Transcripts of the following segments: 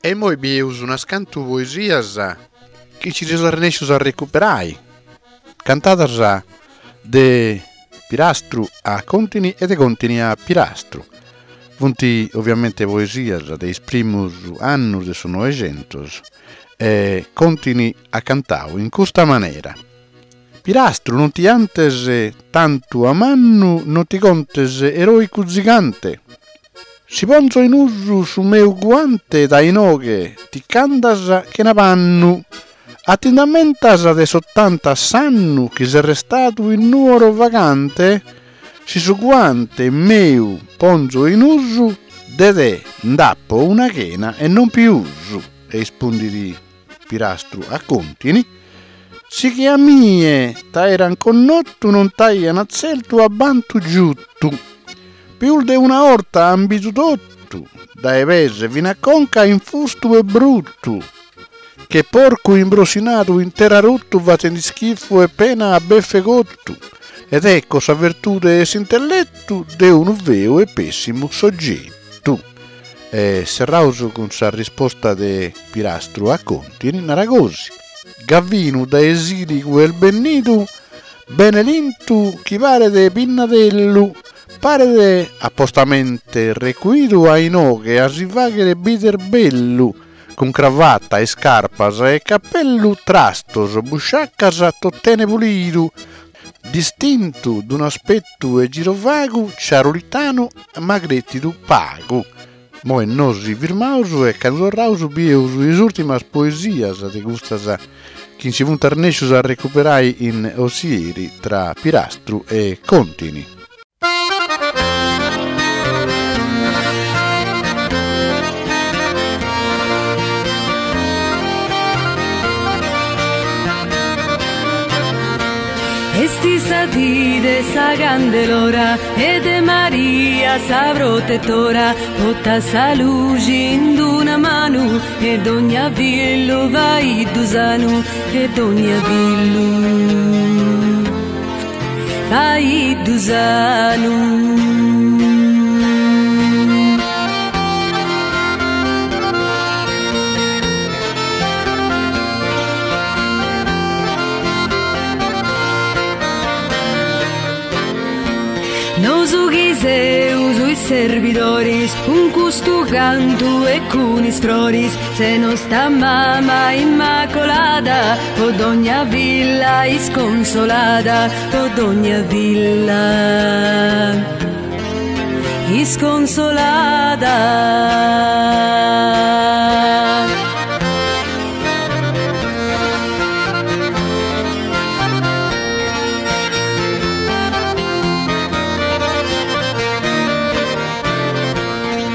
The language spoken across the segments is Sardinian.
E immoi bieus unas cantu poesias chi nci seus arrennescius a recuperai, cantadas de Pirastru a Contini e de Contini a Pirastru. Funt oviamente poesias de is primus annus de su Noixentus e Contini at cantau in custa manera. Pirastru non ti 'antes tantu a mannu non ti contes eroicu zigante. Si ponzo in usu su meu guante dae inoghe ti ch'andas chena pannu. A ti nd'ammentas de s'ottanta s'annu chi ses restadu in Nuoro vagante? Si su guante meu ponzo in usu de te nd'apo una chena e non piusu. E ispundit Pirastru a Contini, Si che a mie t'aeran connottu non t'aian tzeltu a bantu giuttu. Pius de una 'orta an bidu tottu, dae pes fin'a conca infustu e bruttu, che porcu imbrossinadu in terra ruttu fatend'ischifu e pena a beffe cottu, ed ecco sa virtude 'e s'intellettu de unu feu e pessimu soggettu. E serraus cun sa risposta de Pirastru a Contini, narat gosi, Gavinu dae Siligu est bennidu, bene lintu chi paret pinnadellu, paret apostamente recuidu a inoghe a si fagher bider bellu, cun cravatta, iscarpas e cappellu, trastos, busciaccas, tot'ene pulidu, distintu d'un'aspettu e girovagu, ciarulitanu ma cretidu pagu. Moi nosi firmaus e candu torraus bieus is urtimas poesias de custas chi nci funt arrennescius a recuperai in Ozieri tra Pirastru e Contini. Est sa dì de sa Candelora e de Maria sa protetora Portat sa luxi in d'una manu e dogna fillu faiddu sanu e dogna fillu faiddu sanu. Nosu chi seus is serbidoris cun custu cantu e cun is froris Se nosta mama immacolada po dogna filla isconsolada po dogna filla isconsolada.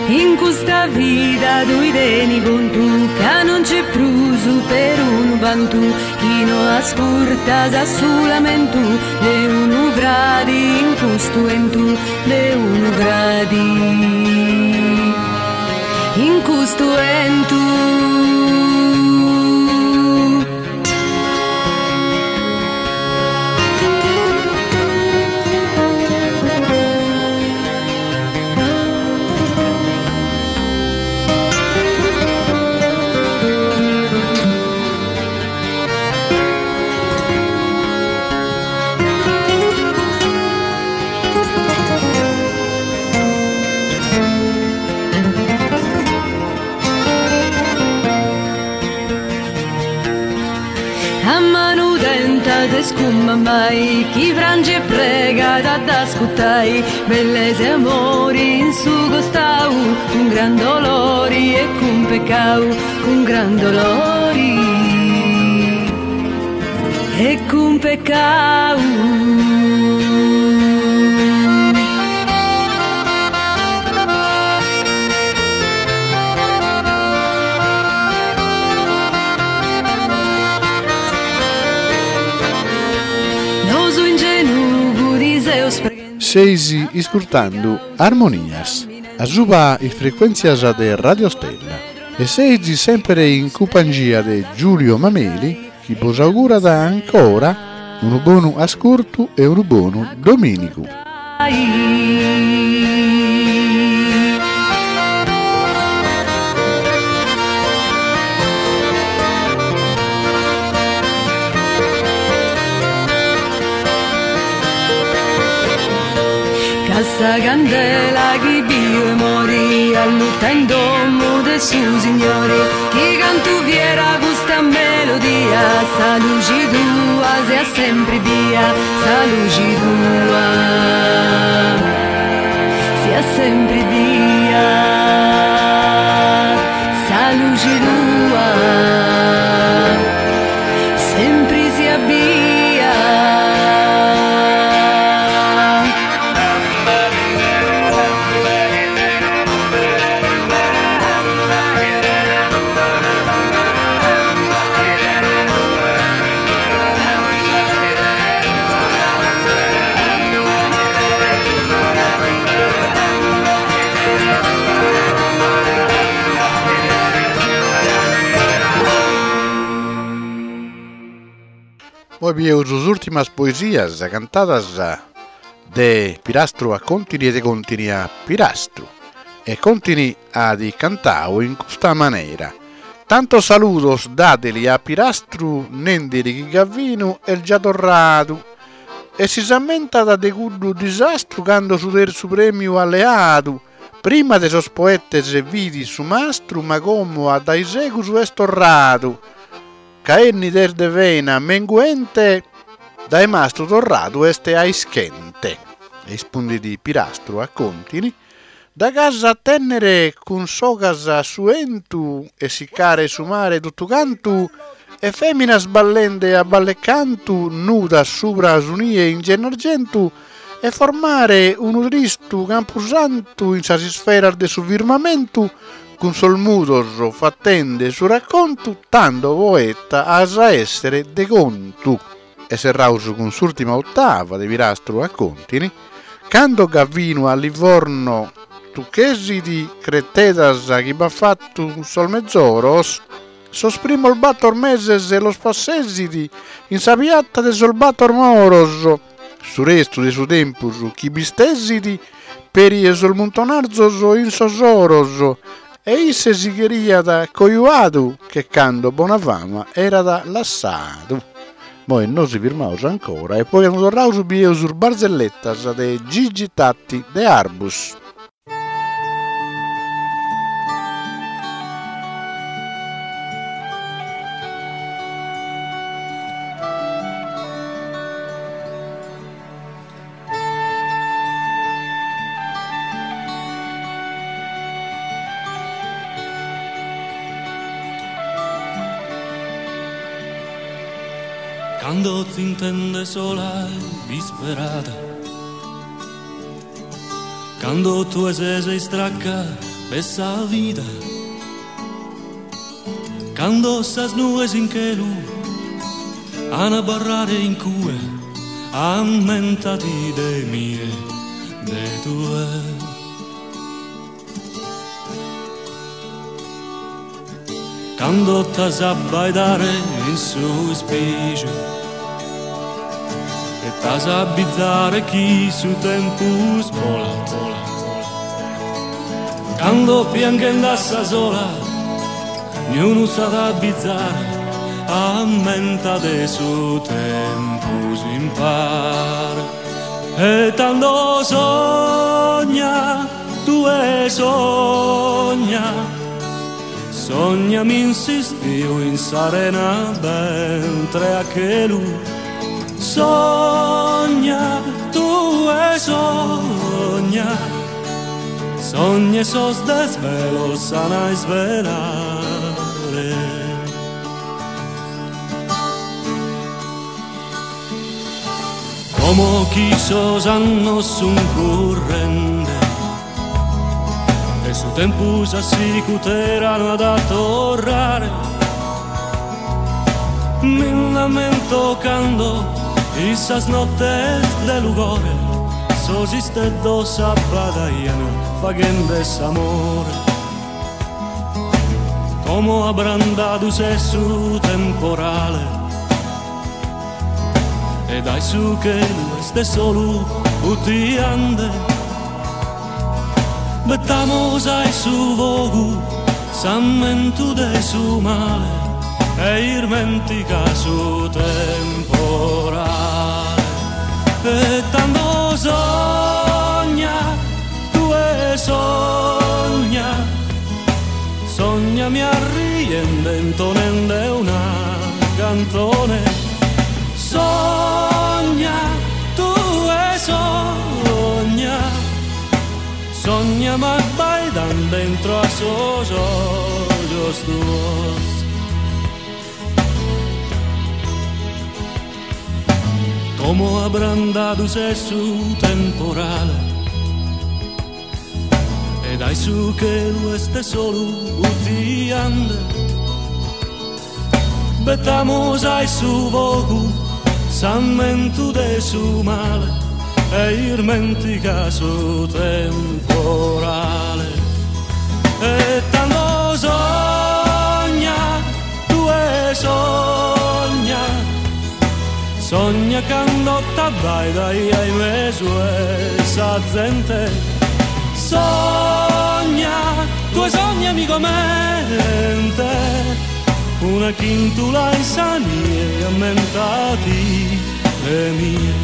In custa vida tui teni contu ca non c'est prus perunu bantu chi no ascurtas su lamentu de unu fradi in custu 'entu de unu fradi in custu 'entu. A manu tenta ses cun mammai chi prangit e pregat a dd'ascurtai bellesa e amori in su costau cun gran dolori e cun peccau cun gran dolori e cun peccau. Nosu in genugu ti seus preghendi. Seis iscurtandu Armonias, asuba is frecuèntzias de Radio Stella e seis sèmpere in cumpangia de Giulio Mameli chi bos augurat ancora unu bonu ascurtu e unu bonu domìnigu. Sa candela chi biu 'e mori Alluta in domu de su Signori Chi cantu fiera custa melodia Sa luxi tua siat sempri bia Sa luxi tua siat sempri bia Sa luxi tua sempri siat bia. Poi bieus sas ùrtimas poesias cantadas de Pirastru a Contini e de Contini a Pirastru. E Contini at cantadu in custa manera, Tantos saludos dadeli a Pirastru nendeli chi Gavinu est già torradu e si s'ammentat de cuddu disastru cando su terzu premiu at leadu, prima de sos poetes fit su mastru ma como a daisegus est torradu ca 'ennida est de vena menguente dae mastru torradu est a ischente. Rispundit Pirastru a Contini Da ch'as a tènnere cun sogas su 'entu e siccare su mare totu cantu e fèminas ballende a ballecantu nudas subra su nie in Gennargentu e formare unu tristu campusantu in sas isferas de su firmamentu cun sos mudos fatende su raccontu tando poeta as a èssere de contu. E serraus cun s'ùrtima otava de Pirastru a Contini, Cando Gavinu a Livorno tucchesit cretedas chi b'at fattu sos mezoros, sos primos battor meses los passesit in sa piatta de sos battor moros, su restu de su tempus chi b'istesit peri 'e sos muntonarzos in sos oros, e isse si cheriat cojuadu che cando bona fama erat lassadu. Moi nosi firmaus ancora e poi candu torraus bieus is barzelletas de Gigi Tatti de Arbus. Cando t'intendes sola e disperada Cando tue ses istracca de sa vida Cando sas nues in chelu an a abarrare in cue Ammentati de mie, de tue. Cando t'as a abbaidare in su ispiju e t'as a abbizare chi su tempus bolat, cando pianghende a sa sola niunu s'at a abbizare, ammenta de su tempus impare e tando sogna Tue sogna, sognami in s'istiu in s'arena bentre a chelu. Sogna, tue sogna, sogna e sos desvelos s'an a isvelare. Como chi sos annos sun currende e su tempus a sicutera no at a torrare, mi nd'ammento cando in sas nottes de lugore sos isteddos s'abbadaian faghende s'amore. Como abrandadu s'est su temporale E dae su chelu est solu utiande Bettamos a su fogu s'ammentu de su male E irmentica su temporale E tando sogna. Sògnami arriende intonende una cantone. Sogna, tue sogna. Sògnami abbaidende intro a sos ojos tuos. Como abrandadu s'est su temporale E dae su chelu est solu utiande Betamus a su fogu s'ammentu de su male E irmentica su temporale E tando sogna, tue sogna Sogna cando t'abbaidaia in mesu 'e sa zente Sogna, tue sognami comente Una chintula in sa nie ammentati de mie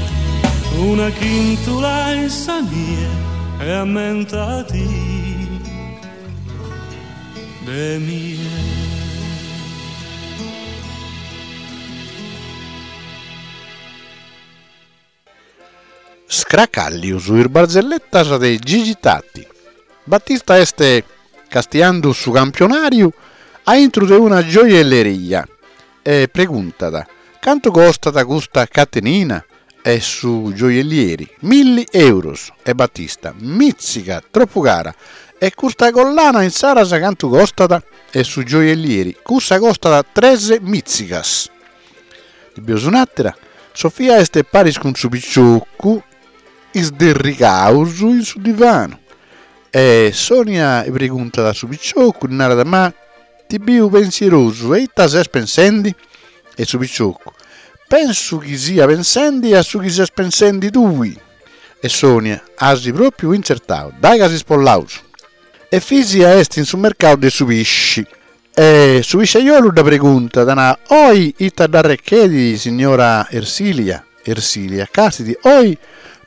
Una chintula in sa nie e ammentati de mie. Scracàllius is barzelletas de Gigi Tatti. Battista est castiandu su campionàriu a intru de una gioielleria e preguntat, Cantu costat custa catenina? E su gioiellieri, Milli euros. E Battista, Mìtziga, tropu cara. E custa collana insaras cantu costat? E su gioiellieri, Cussa costat tres mìtzigas. Ndi bieus un'àtera, Sofia est paris cun su piciocu isderrigaus in su divanu. E Sonia preguntat a su piciocu, ddi narat, Ma ti biu pensierosu, e ita ses pensendi? E su piciocu, Pensu chi sia pensendi a su chi ses pensendi tui. E Sonia, As pròpiu intzertau, dai ca si spollaus. Efisia est in su mercau de su pisci. E su pisciaiolu dda preguntat, na, Oi ita dd'arrechedit, signora Ersilia? Ersilia, Castit, oi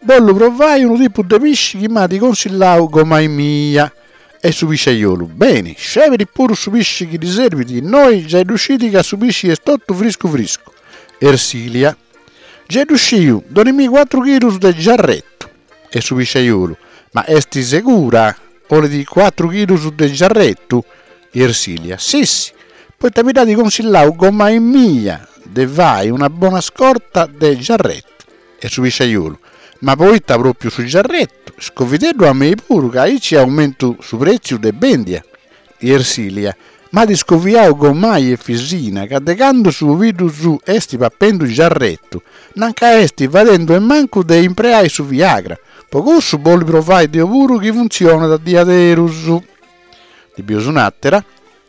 bollu provai unu tipu de pisci chi m'at consillau gomai mia. E su pisciaiolu, Beni, sceberit puru su pisci chi ddi serbit, innoi giai ddu scit ca su pisci est totu friscu friscu. Ersilia, Giai ddu sciu, donimì cuatru chilus de giarretu. E su pisciaiolu, Ma est segura? Olit cuatru chilus de giarretu? Ersilia, Sissi, poita mi dd'at consillau gomai mia de fai una bona scorta de giarretu. E su pisciaiolu, Ma poita pròpiu su giarretu? Scovideddu a mei puru ca aici aumentu su prètziu de bèndia. Ersilia, M'at scoviau gomai Efisina ca de candu su pobiddu suu est papendu giarretu, nanca est fadendu 'e mancu de impreai su Viagra, po cussu bollu provai deu puru chi funtzionat diaderus. Ndi bieus un'àtera,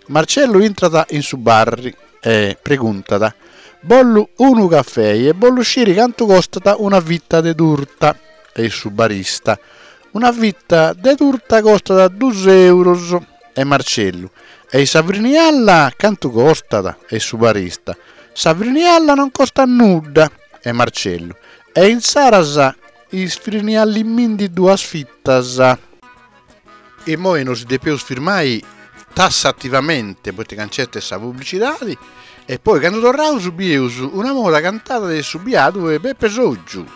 Marcellu intrat in su barri e preguntat, Bollu unu cafei e bollu sciri cantu costat una fita de turta. E su barista, Una fita de turta costat dus euros. E Marcellu, E sa frinialla cantu costat? E su barista, Sa frinialla non costat nudda. E Marcellu, E insaras isfriniallimindi duas fitas. Immoi nosi depeus firmai tassativamente poita ca nc'est sa publicidadi e poi candu torraus bieus una moda cantada de su biadu 'e Pepe Soggiu.